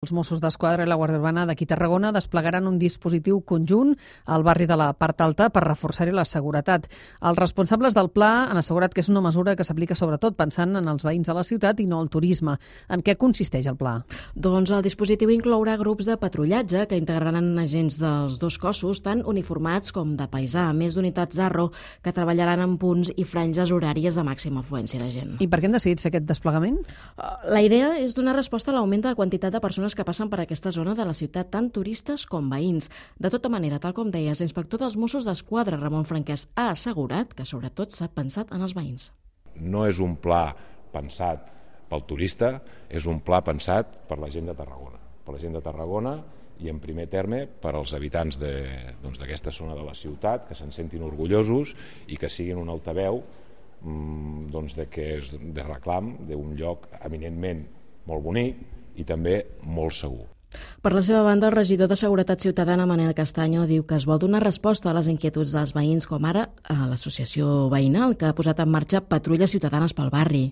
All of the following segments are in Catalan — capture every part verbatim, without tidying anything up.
Els Mossos d'Esquadra i la Guàrdia Urbana d'aquí Tarragona desplegaran un dispositiu conjunt al barri de la Part Alta per reforçar-hi la seguretat. Els responsables del pla han assegurat que és una mesura que s'aplica sobretot pensant en els veïns de la ciutat i no al turisme. En què consisteix el pla? Doncs el dispositiu inclourà grups de patrullatge que integraran agents dels dos cossos, tant uniformats com de paisà, a més d'unitats Arro que treballaran en punts i franges horàries de màxima afluència de gent. I per què han decidit fer aquest desplegament? La idea és donar resposta a l'augment de la quantitat de persones que passen per aquesta zona de la ciutat, tant turistes com veïns. De tota manera, tal com deies, l'inspector dels Mossos d'Esquadra, Ramon Franquès, ha assegurat que sobretot s'ha pensat en els veïns. No és un pla pensat pel turista, és un pla pensat per la gent de Tarragona. Per la gent de Tarragona i, en primer terme, per als habitants d'aquesta zona de la ciutat, que se'n sentin orgullosos i que siguin un altaveu doncs, de, que és de reclam d'un lloc eminentment molt bonic i també molt segur. Per la seva banda, el regidor de Seguretat Ciutadana, Manel Castaño, diu que es vol donar resposta a les inquietuds dels veïns, com ara a l'associació veïnal, que ha posat en marxa patrulles ciutadanes pel barri.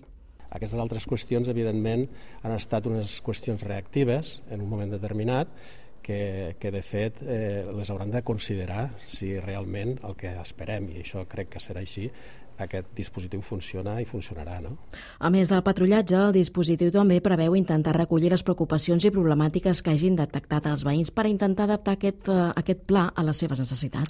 Aquestes altres qüestions, evidentment, han estat unes qüestions reactives en un moment determinat que, que de fet, eh, les hauran de considerar si realment el que esperem, i això crec que serà així, aquest dispositiu funciona i funcionarà, no? A més del patrullatge, el dispositiu també preveu intentar recollir les preocupacions i problemàtiques que hagin detectat els veïns per intentar adaptar aquest, uh, aquest pla a les seves necessitats.